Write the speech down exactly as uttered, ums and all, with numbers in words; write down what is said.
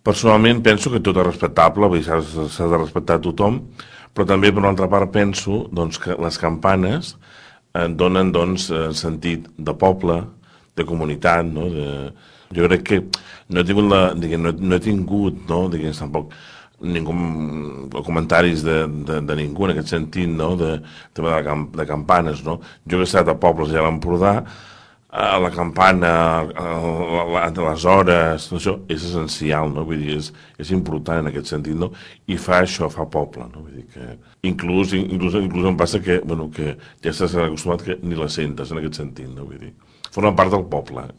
Personalment penso que tot és respectable, vull dir, s'ha s'ha de respectar tothom, però també per una altra part penso doncs, que les campanes eh, donen doncs, eh, sentit de poble, de comunitat, no? De... Jo crec que no he tingut, la, diguem, no, no he tingut no? Diguem, tampoc ningú, comentaris de, de, de ningú en aquest sentit, no? De, de, de, camp, de campanes, no? Jo que he estat a pobles ja a l'Empordà, a la campana, a, a, a les hores, això és essencial, no? Vull dir, és, és important en aquest sentit, no? I fa això, fa poble, no? Vull dir que inclús, inclús, inclús em passa que, bueno, que ja estàs acostumat que ni la sentes en aquest sentit, no? Vull dir, forma part del poble.